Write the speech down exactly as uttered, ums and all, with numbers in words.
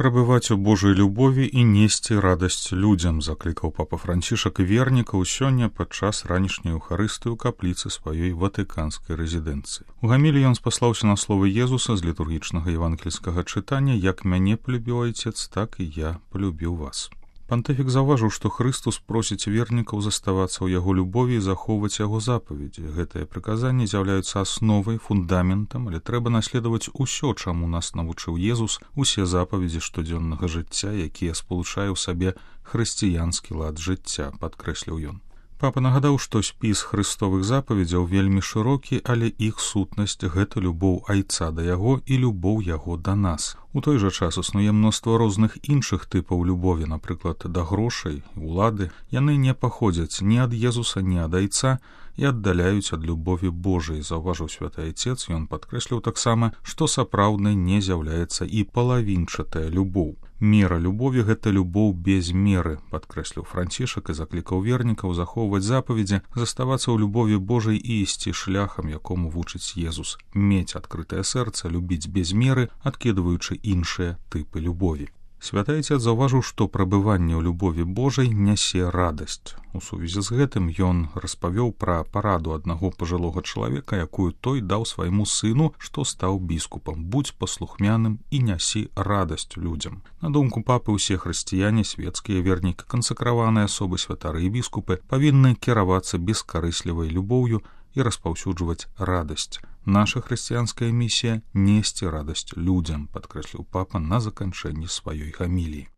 Прабываць у Божай любові і несці радасць людзям, заклікаў папа Францішак вернікаў сёння падчас ранішняй эўхарыстыі ў капліцы сваёй ватыканскай рэзідэнцыі. У гаміліі ён спаслаўся на словы Езуса з літургічнага евангельскага чытання: «Як мяне полюбіў Айцец, так і я полюбіў вас». Пантыфік заўважыў, што Хрыстус просіць вернікаў заставацца ў яго любові і захоўваць яго запаведзі. Гэтыя прыказанні з'яўляюцца асновай, фундаментам, але трэба наследаваць усё, чаму нас навучыў Езус, усе запаведзі штодзённага жыцця, якія спалучае ў сабе хрысціянскі лад жыцця, падкрэсліў ён. Папа нагадаў, што спіс хрыстовых запаведзяў вельмі шырокі, але іх сутнасць — гэта любоў Айца да яго і любоў яго да нас. У той жа час існуе мноства розных іншых тыпаў любові, напрыклад, да грошай, улады. Яны не паходзяць ні ад Езуса, ні ад Айца і аддаляюць ад любові Божай, заўважыў святы Айцец. Ён падкрэсліў таксама, што сапраўднай не з'яўляецца і палавінчатая любоў. Мера любові — гэта любоў без меры, падкрэсліў Францішак і заклікаў вернікаў захоўваць запаведзі, заставацца ў любові Божай і ісці шляхам, якому вучыць Езус, мець адкрытае сэрца, любіць без меры, адкідваючы іншыя тыпы любові. Святы Айцец заўважыў, што прабыванне ў любові Божай нясе радасць. У сувязі з гэтым ён распавёў пра параду аднаго пажылога чалавека, якую той даў свайму сыну, што стаў біскупам: «Будзь паслухмяным і нясі радасць людзям». На думку папы, усе хрысціяне, свецкія вернікі, кансакраваныя асобы, святары і біскупы павінны кіравацца бескарыслівай любоўю і распаўсюджваць радасць. Наша хрысціянская місія — несці радасць людзям, падкрэсліў папа на заканчэнні сваёй гаміліі.